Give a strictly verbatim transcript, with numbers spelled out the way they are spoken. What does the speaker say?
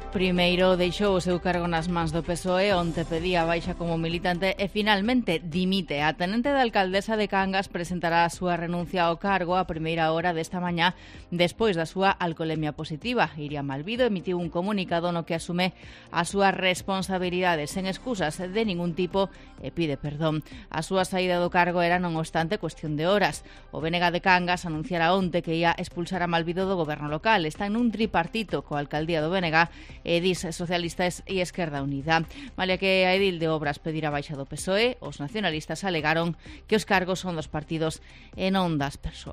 Primeiro deixou o seu cargo nas mans do P S O E, onte pedía baixa como militante e finalmente dimite. A tenente da alcaldesa de Cangas presentará a súa renuncia ao cargo a primeira hora desta mañá despois da súa alcolemia positiva. Iria Malvido emitiu un comunicado no que asume as súas responsabilidades sen excusas de ningún tipo e pide perdón. A súa saída do cargo era, non obstante, cuestión de horas. O B N G de Cangas anunciara onte que ia expulsar a Malvido do goberno local. Está nun tripartito coa alcaldía do B N G e dis Socialistas e Esquerda Unida. Malia que a edil de Obras pedirá baixa do P S O E, os nacionalistas alegaron que os cargos son dos partidos e non das persoas.